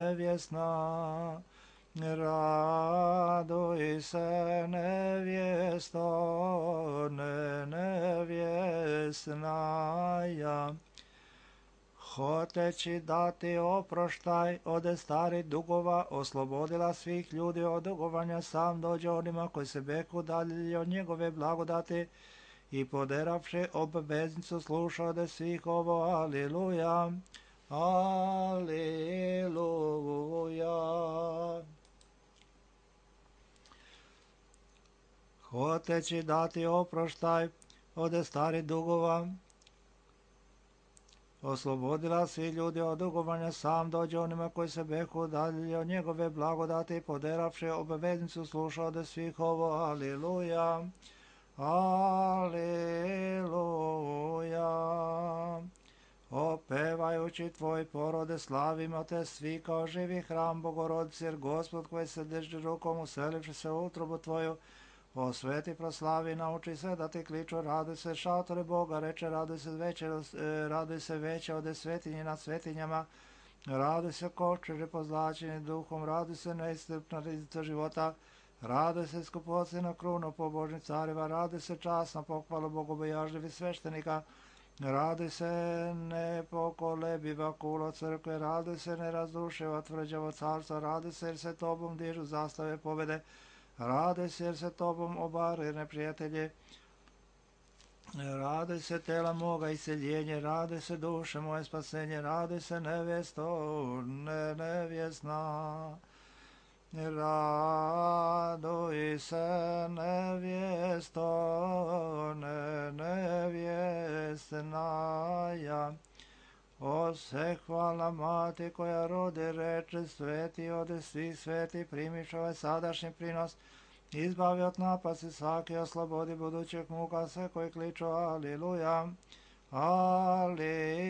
nevjesna. Raduj se nevjesto, nevjesnaja. Hoteći dati oproštaj ode starih dugova, oslobodila svih ljudi od dugovanja, sam dođe onima koji se beku dalje od njegove blagodati i poderavši obveznicu sluša ode svih ovo. Aliluja, aliluja. Hoteći dati oproštaj ode starih dugova, oslobodila svi ljudi od dugovanja, sam dođe onima koji se beku dalje od njegove blagodati, poderavši obveznicu sluša ode svih ovo. Aliluja, aliluja. Opevajući tvoj porode slavimo te svi kao živi hram Bogorodice, jer Gospod koji se drži rukom uselivši se u utrobu tvoju, osveti, proslavi, nauči sve da ti kliču, raduj se šatore Boga, reče raduj se veće ode svetinje nad svetinjama, raduj se kočeže pozlačeni duhom, raduj se neiscrpna rizica života, raduj se skupocena kruna pobožnih careva, raduj se časna pohvala bogobojažljivi sveštenika, raduj se nepokolebiva kulo crkve, raduj se nerazrušiva tvrđavo carstva, raduj se jer se tobom dižu zastave pobede, raduj se jer se tobom obare neprijatelji, raduj se tela moga iseljenje, raduj se duše moje spasenje, raduj se nevjesto, nevjesna. Raduj se nevjesto, nevjesnaja. O se hvala mati koja rodi, reče sveti ode svi sveti, primiš ovaj sadašnji prinos, izbavi od napasti svaki, oslobodi budućeg muka sve koji kliču aliluja, aliluja.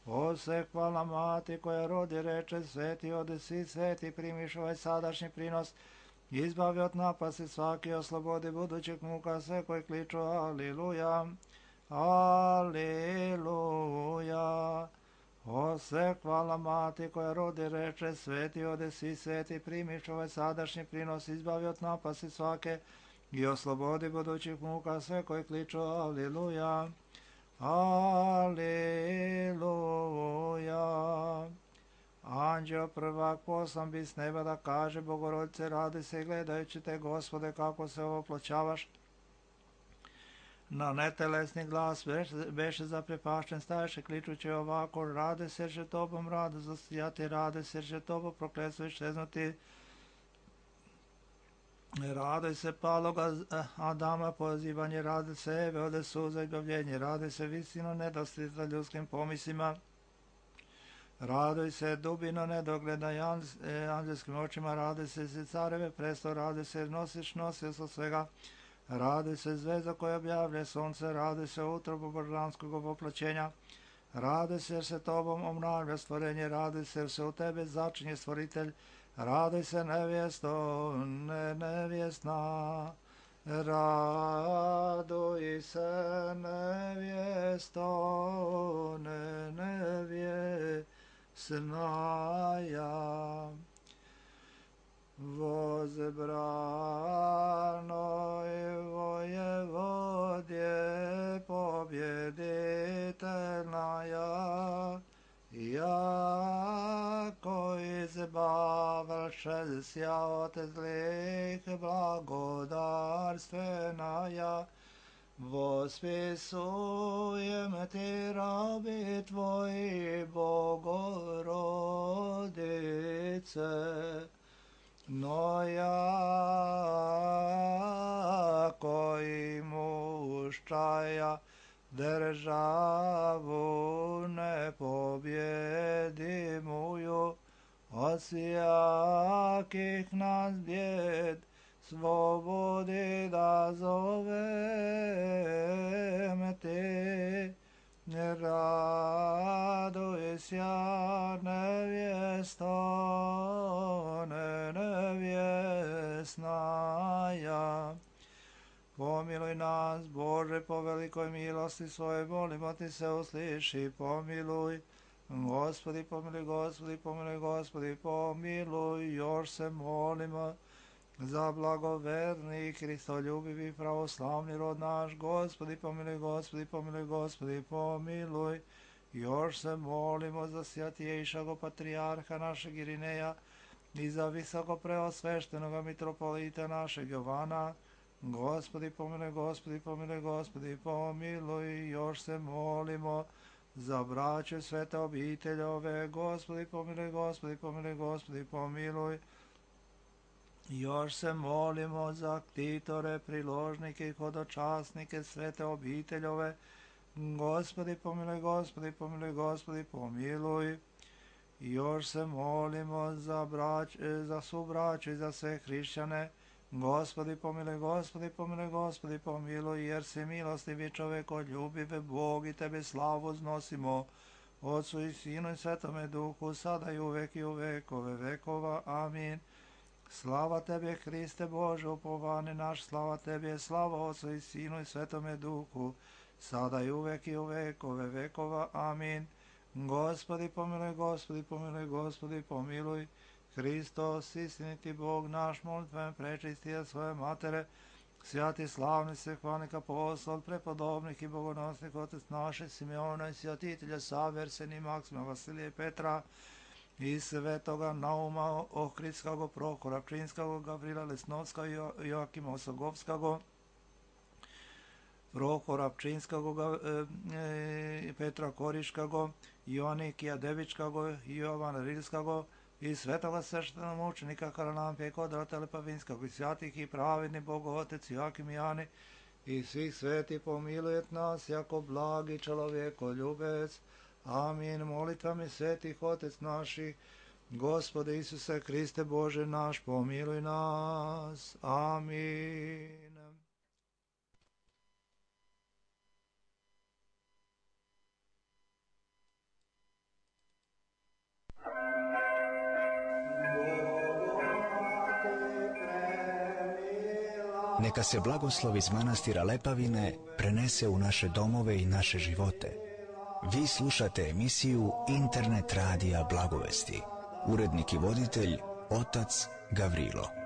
O se hvala mati koja rodi, reče sveti ode svi sveti, primiš ovaj sadašnji prinos, izbavi od napasti svaki, oslobodi budućeg muka sve koji kliču aliluja, aliluja. O se hvala mati koja rodi, reče sveti ode svi sveti, primiš ovaj sadašnji prinos, izbavi od napasti svake i oslobodi budućih muka sve koji kliču aliluja, aliluja. Anđeo prvak poslan bi s neba da kaže Bogorodice radi se, gledajući te Gospode kako se oploćavaš. Na netelesni glas beše zaprepašten, staješe kličući ovako, rade se že tobom rado zasijati, rade se že tobo prokletstvo iščeznuti, rade se paloga Adama pozivanje, rade se Eve ode suza i bavljenje, rade se visino nedostižna ljudskim pomislima, raduj se dubino nedogleda anđelskim očima, rade se careve presto, rade se nosioca svega, raduj se zvezda koja objavlja sunce, raduj se utrobu božanskog oploćenja, raduj se jer se tobom obnavlja stvorenje, raduj se jer se u tebe začinje stvoritelj, raduj se nevjesto, nevjesna, raduj se nevjesto, nevjesnaja. Возбранoj воеводje побjeditelnaja, jako izbavlše od zlih blagodarstvenaja, vospisujem ti rabi tvoji Bogorodice, no jako i muščaja državu nepobjedimuju, od sjakih nas bjed slobodi da zovem te. Raduj sja nevjesto, nevjesnaja. Pomiluj nas, Bože, po velikoj milosti svoje, molimo ti se usliši, pomiluj. Gospodi pomiluj, Gospodi pomiluj, Gospodi pomiluj, još se molimo za blagoverni i kristoljubivi pravoslavni rod naš. Gospodi pomiluj, Gospodi pomiluj, Gospodi pomiluj, još se molimo za svjatijejšago patrijarha našeg Irineja i za visoko preosveštenoga mitropolita našeg Jovana. Gospodi pomiluj, Gospodi pomiluj, Gospodi pomiluj, još se molimo za braće svete obiteljove. Gospodi pomiluj, Gospodi pomiluj, Gospodi pomiluj, još se molimo za ktitore, priložnike i hodočasnike svete obiteljove. Gospodi pomiluj, Gospodi pomiluj, Gospodi pomiluj, još se molimo za subraću i za sve hrišćane. Gospodi pomiluj, Gospodi pomiluj, Gospodi pomiluj, jer si milostivi čovekoljubive Bog i Tebe slavu uznosimo, Otcu i Sinu i Svetome Duhu, sada i uvek i u vekove vekova. Amin. Slava Tebe, Hriste Bože, upovani naš, slava Tebe, slava Otcu i Sinu i Svetome Duhu, sada i uvek i u vekove vekova. Amin. Gospodi pomiluj, Gospodi pomiluj, Gospodi pomiluj, Hristos, istiniti Bog naš, molitvom prečistija svoje matere, svjati slavni svehvanik apostol, prepodobnih i bogonosnih otec naše Simeona i svjatitelja Save, Arsenija, Maksima, Vasilija i Petra, i svetoga Nauma, Ohridskog, Prohora Pčinskog, Gavrila Lesnovskog, Joakima Osogovskog, Prohora Pčinskog, Petra Koriškog, Ionikija Devičkog, Jovana Rilskog, i svetoga sveštenog mučenika Karalampija i Kodrata Lepavinskog, i svjatih i pravedni Bogotec Joakim i Jani, i svih sveti pomilujet nas, jako blagi čovjekoljubec. Amin. Molitvami svetih Otec naših, Gospode Isuse Hriste Bože naš, pomiluj nas. Amin. Neka se blagoslov iz manastira Lepavine prenese u naše domove i naše živote. Vi slušate emisiju Internet radija Blagovesti. Urednik i voditelj otac Gavrilo.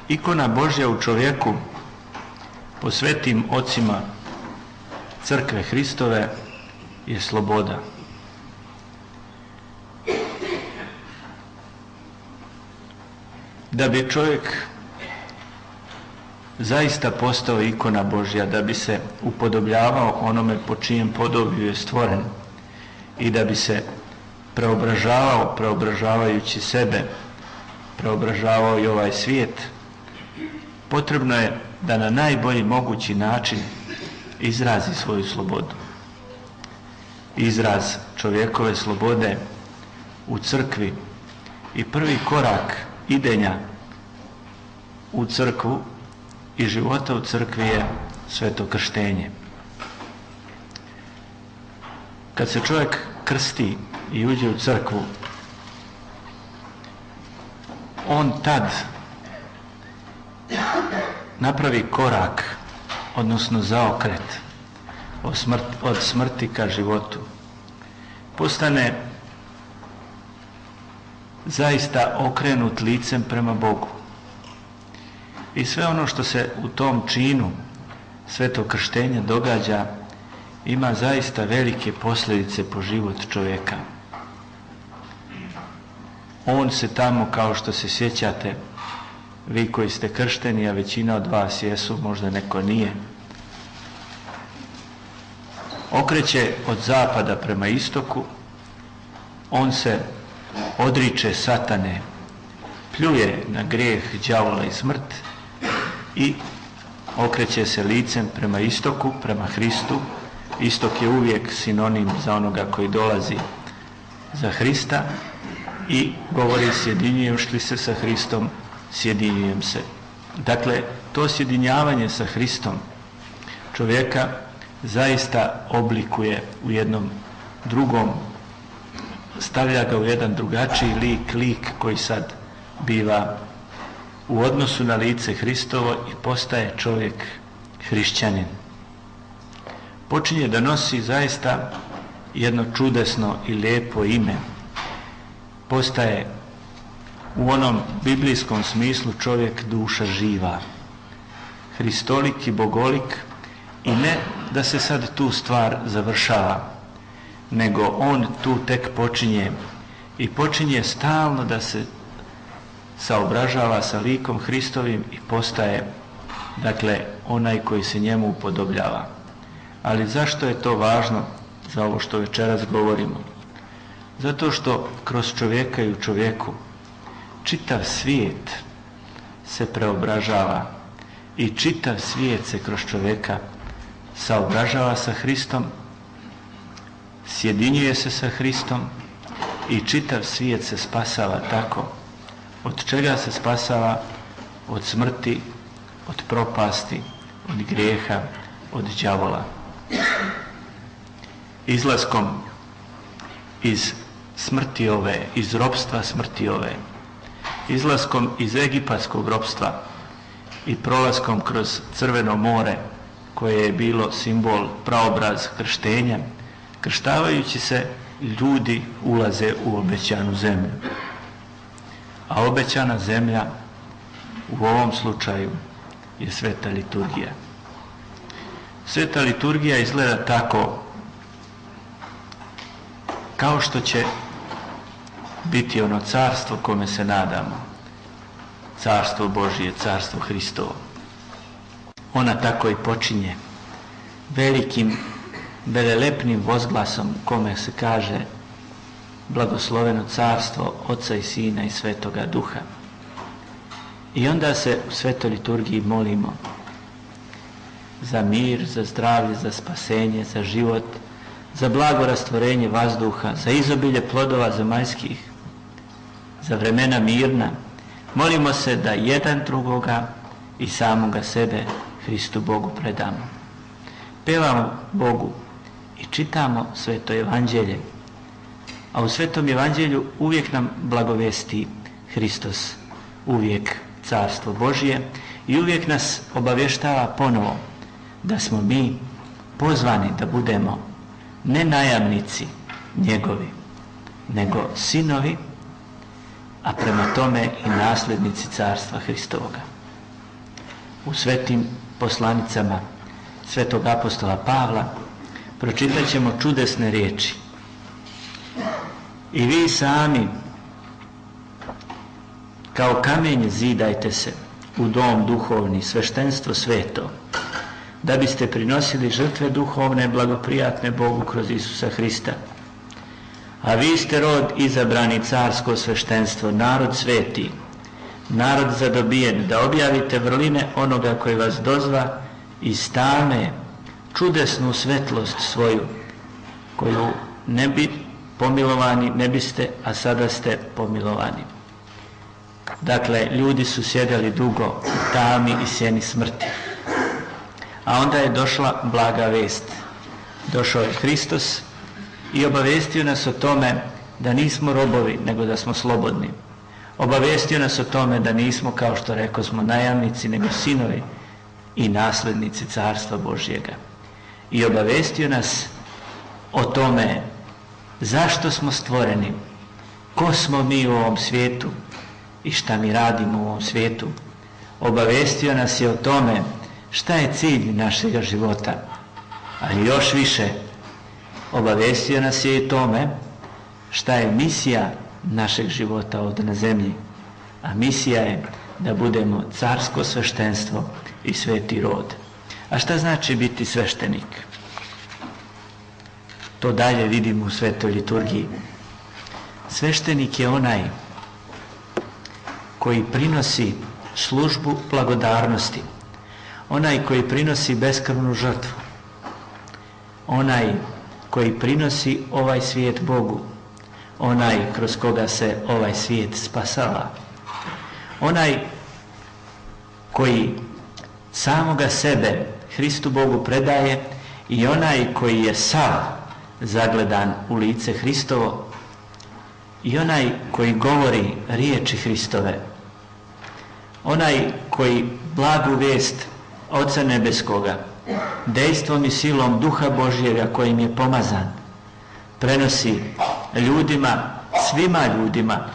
Ikona Božja u čovjeku po svetim ocima Crkve Hristove je sloboda. Da bi čovjek zaista postao ikona Božja, da bi se upodobljavao onome po čijem podobiju je stvoren i da bi se preobražavao, preobražavajući sebe, preobražavao i ovaj svijet, potrebno je da na najbolji mogući način izrazi svoju slobodu. Izraz čovjekove slobode u crkvi i prvi korak idenja u crkvu i života u crkvi je sveto krštenje. Kad se čovjek krsti i uđe u crkvu, on tad napravi korak, odnosno zaokret od smrti ka životu. Postane zaista okrenut licem prema Bogu. I sve ono što se u tom činu svetog krštenja događa ima zaista velike posljedice po život čovjeka. On se tamo, kao što se sjećate, vi koji ste kršteni, a većina od vas jesu, možda neko nije, okreće od zapada prema istoku, on se odriče satane, pljuje na grijeh, đavola i smrt i okreće se licem prema istoku, prema Hristu. Istok je uvijek sinonim za onoga koji dolazi za Hrista i govori sjedinjujući li se sa Hristom, sjedinjujem se. Dakle, to sjedinjavanje sa Hristom čovjeka zaista oblikuje u jednom drugom, stavlja ga u jedan drugačiji lik koji sad biva u odnosu na lice Hristovo i postaje čovjek hrišćanin. Počinje da nosi zaista jedno čudesno i lijepo ime. Postaje u onom biblijskom smislu čovjek duša živa, hristolik i bogolik, i ne da se sad tu stvar završava, nego on tu tek počinje i počinje stalno da se saobražava sa likom Hristovim i postaje, dakle, onaj koji se njemu upodobljava. Ali zašto je to važno za ovo što večeras govorimo? Zato što kroz čovjeka i u čovjeku čitav svijet se preobražava i čitav svijet se kroz čovjeka saobražava sa Hristom, sjedinjuje se sa Hristom i čitav svijet se spasava tako. Od čega se spasava? Od smrti, od propasti, od grijeha, od đavola. Izlaskom iz smrti ove, iz ropstva smrti ove, izlaskom iz egipatskog ropstva i prolaskom kroz Crveno more, koje je bilo simbol, praobraz krštenja, krštavajući se ljudi ulaze u obećanu zemlju. A obećana zemlja u ovom slučaju je sveta liturgija. Sveta liturgija izgleda tako kao što će biti ono carstvo kome se nadamo, carstvo Božije, carstvo Hristovo. Ona tako i počinje velikim, velelepnim vozglasom kome se kaže blagosloveno carstvo Oca i Sina i Svetoga Duha. I onda se u svetoj liturgiji molimo za mir, za zdravlje, za spasenje, za život, za blago rastvorenje vazduha, za izobilje plodova zemaljskih, za vremena mirna. Molimo se da jedan drugoga i samoga sebe Hristu Bogu predamo. Pevamo Bogu i čitamo Sveto Evanđelje, a u Svetom Evanđelju uvijek nam blagovesti Hristos, uvijek carstvo Božje, i uvijek nas obavještava ponovo da smo mi pozvani da budemo ne najamnici njegovi, nego sinovi, a prema tome i nasljednici carstva Hristovoga. u svetim poslanicama svetog apostola Pavla, pročitat ćemo čudesne riječi. I vi sami kao kamenje zidajte se u dom duhovni, sveštenstvo sveto, da biste prinosili žrtve duhovne, blagoprijatne Bogu kroz Isusa Hrista. A vi ste rod izabrani, carsko sveštenstvo, narod sveti, narod zadobijen, da objavite vrline onoga koji vas dozva iz tame, čudesnu svetlost svoju, koju ne bi pomilovani, ne biste, a sada ste pomilovani. Dakle, ljudi su sjedali dugo u tami i sjeni smrti. A onda je došla blaga vest. Došao je Hristos i obavestio nas o tome da nismo robovi, nego da smo slobodni. Obavestio nas o tome da nismo, kao što rekao smo, najamnici, nego sinovi i naslednici Carstva Božjega. I obavestio nas o tome zašto smo stvoreni, ko smo mi u ovom svijetu i šta mi radimo u ovom svijetu. Obavestio nas je o tome šta je cilj našega života, ali još više obavestio nas je i tome šta je misija našeg života ovdje na zemlji. A misija je da budemo carsko sveštenstvo i sveti rod. A šta znači biti sveštenik? To dalje vidimo u svetoj liturgiji. Sveštenik je onaj koji prinosi službu blagodarnosti, onaj koji prinosi beskrvnu žrtvu, onaj koji prinosi ovaj svijet Bogu, onaj kroz koga se ovaj svijet spasava, onaj koji samoga sebe Hristu Bogu predaje i onaj koji je sav zagledan u lice Hristovo i onaj koji govori riječi Hristove, onaj koji blagu vijest Oca Nebeskoga dejstvom i silom Duha Božjega kojim je pomazan prenosi ljudima, svima ljudima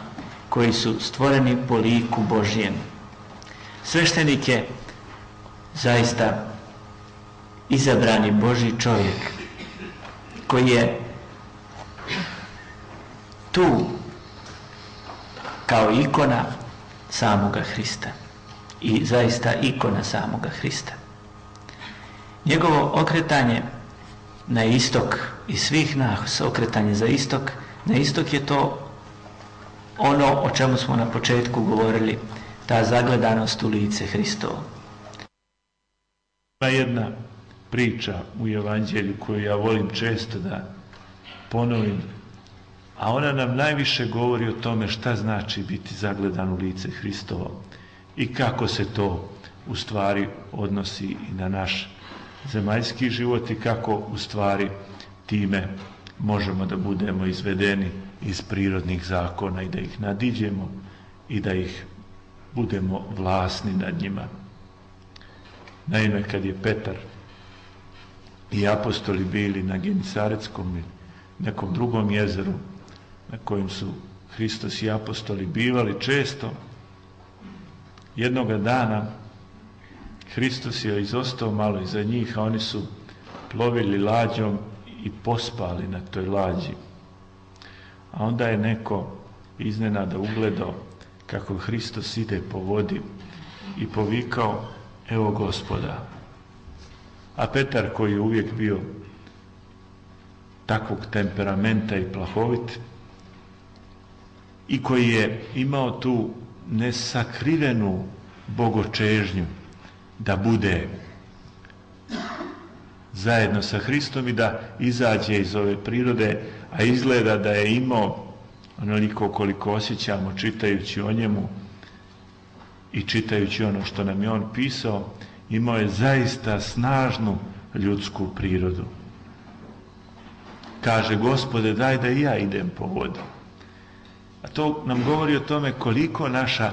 koji su stvoreni po liku Božjem. Sveštenik je zaista izabrani Božji čovjek koji je tu kao ikona samoga Hrista i zaista ikona samoga Hrista. Njegovo okretanje na istok i svih nas okretanje za istok, na istok je to ono o čemu smo na početku govorili, ta zagledanost u lice Hristovo. Ima jedna priča u Evanđelju koju ja volim često da ponovim, a ona nam najviše govori o tome šta znači biti zagledan u lice Hristovo i kako se to u stvari odnosi i na naš zemaljski život i kako u stvari time možemo da budemo izvedeni iz prirodnih zakona i da ih nadiđemo i da ih budemo vlasni nad njima. Naime, kad je Petar i apostoli bili na Genisaretskom i nekom drugom jezeru na kojem su Hristos i apostoli bivali često, jednoga dana Hristos je izostao malo iza njih, a oni su plovili lađom i pospali na toj lađi. A onda je neko iznenada ugledao kako Hristos ide po vodi i povikao: evo Gospoda. A Petar, koji je uvijek bio takvog temperamenta i plahovit i koji je imao tu nesakrivenu bogočežnju da bude zajedno sa Hristom i da izađe iz ove prirode, a izgleda da je imao onoliko koliko osjećamo čitajući o njemu i čitajući ono što nam je on pisao, imao je zaista snažnu ljudsku prirodu. Kaže: Gospode, daj da i ja idem po vodu. A to nam govori o tome koliko naša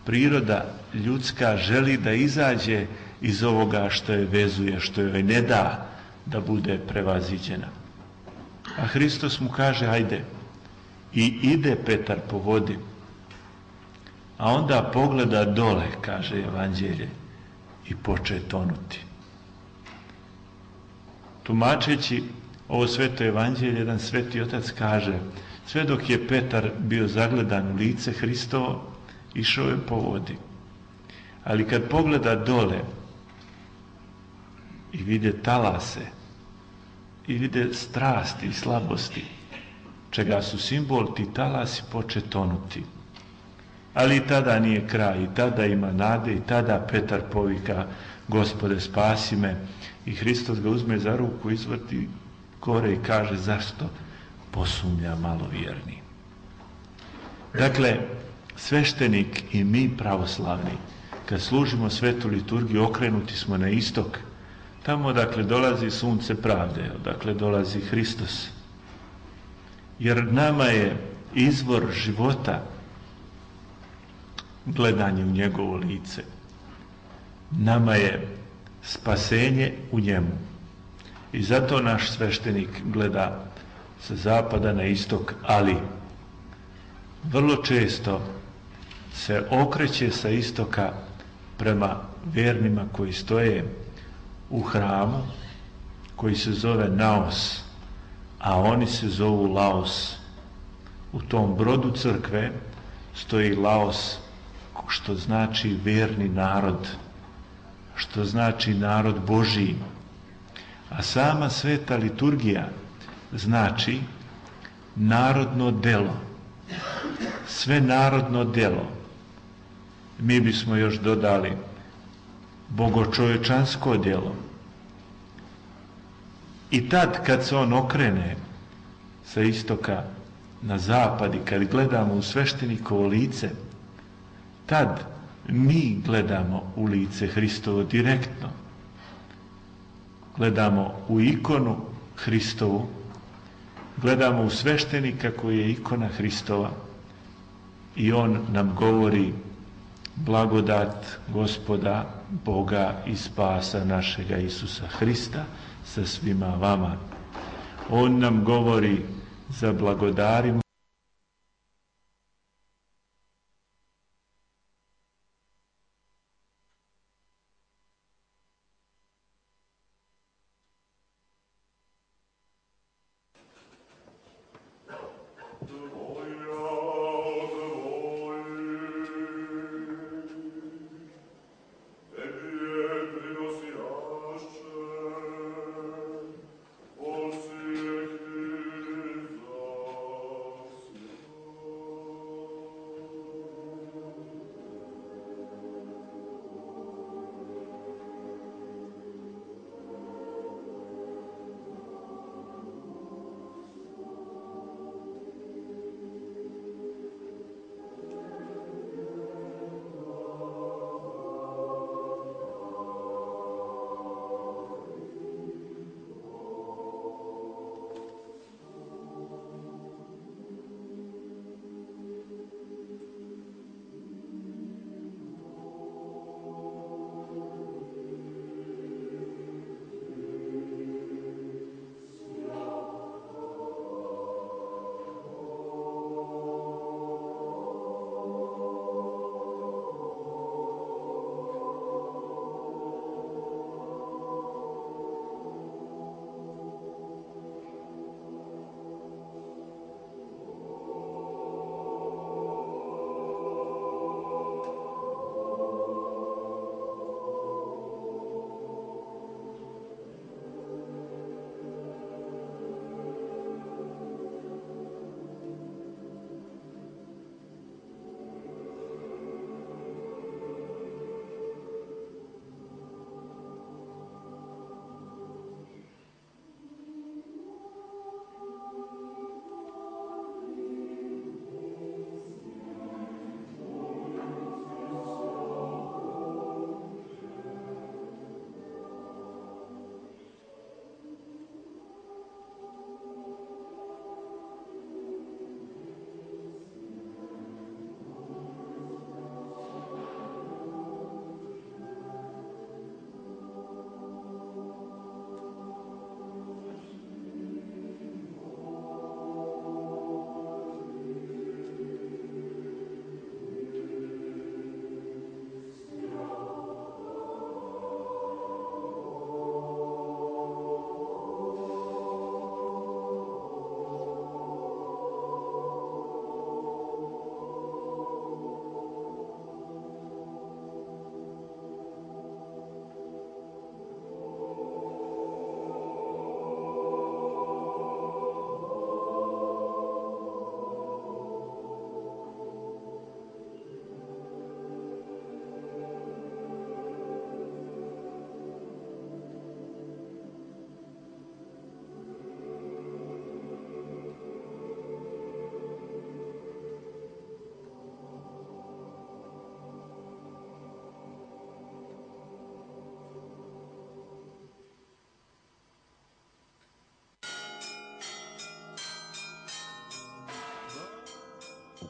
priroda ljudska želi da izađe iz ovoga što je vezuje, što joj ne da da bude prevaziđena. A Hristos mu kaže: ajde. I ide Petar po vodi. A onda pogleda dole, kaže Evanđelje, i poče tonuti. Tumačeći ovo sveto evanđelje, jedan sveti otac kaže, sve dok je Petar bio zagledan u lice Hristovo, išao je po vodi. Ali kad pogleda dole i vide talase, i vide strasti i slabosti, čega su simbol, ti talasi poče tonuti. Ali i tada nije kraj, i tada ima nade, i tada Petar povika, Gospode, spasi me. I Hristos ga uzme za ruku, izvrti gore i kaže, zašto posumnja malovjerni? Dakle, sveštenik i mi pravoslavni, kad služimo svetu liturgiju, okrenuti smo na istok, tamo odakle dolazi sunce pravde, odakle dolazi Hristos. Jer nama je izvor života gledanje u njegovo lice. Nama je spasenje u njemu. I zato naš sveštenik gleda sa zapada na istok, ali vrlo često se okreće sa istoka prema vernima koji stoje u hramu, koji se zove Naos, a oni se zovu Laos. U tom brodu crkve stoji Laos, što znači verni narod, što znači narod Božiji. A sama sveta liturgija znači narodno delo. Sve narodno delo. Mi bismo još dodali bogočovečansko djelo. I tad kad se on okrene sa istoka na zapad i kad gledamo u sveštenikovo lice, tad mi gledamo u lice Hristovo direktno. Gledamo u ikonu Hristovu, gledamo u sveštenika koji je ikona Hristova i on nam govori blagodat Gospoda, Boga i spasa našega Isusa Hrista sa svima vama. On nam govori za blagodarimo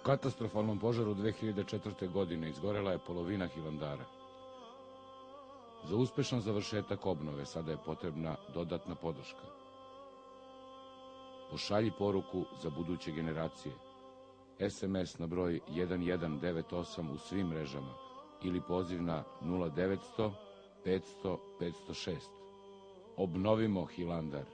katastrofalnom požaru 2004. godine izgorela je polovina Hilandara. Za uspešan završetak obnove sada je potrebna dodatna podrška. Pošalji poruku za buduće generacije. SMS na broj 1198 u svim mrežama ili poziv na 0900 500 506. Obnovimo Hilandar.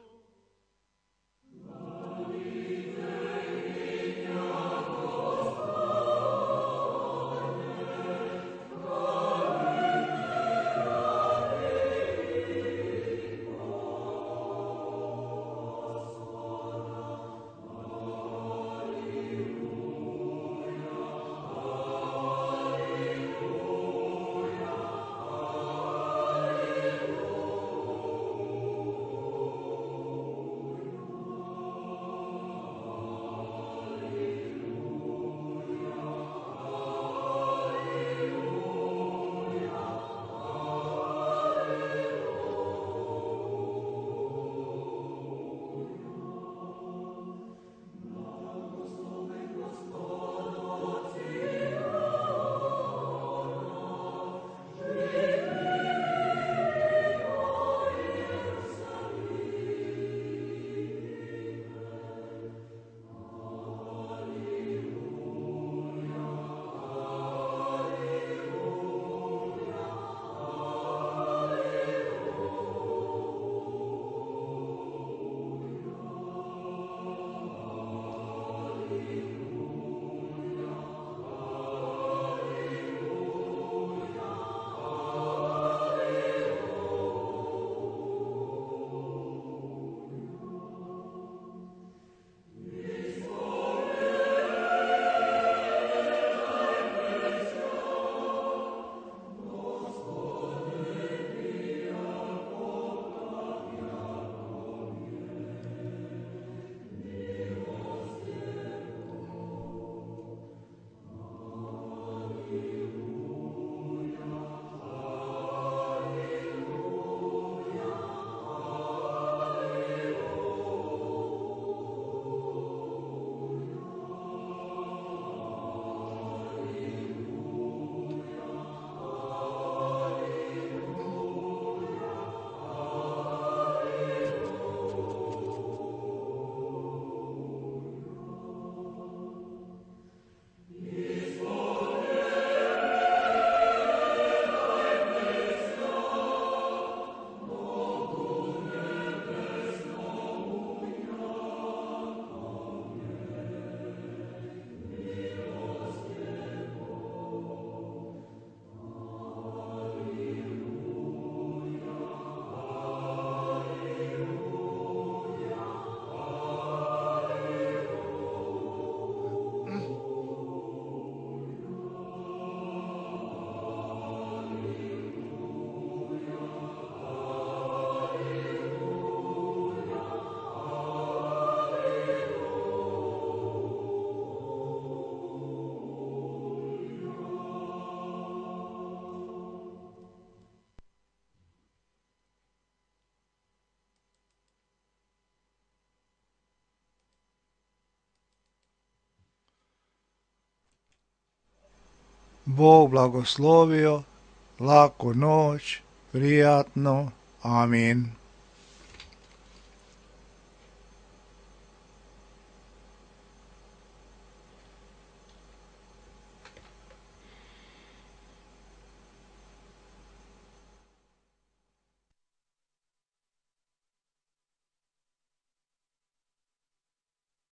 Bog blagoslovio, laku noć, prijatno, amin.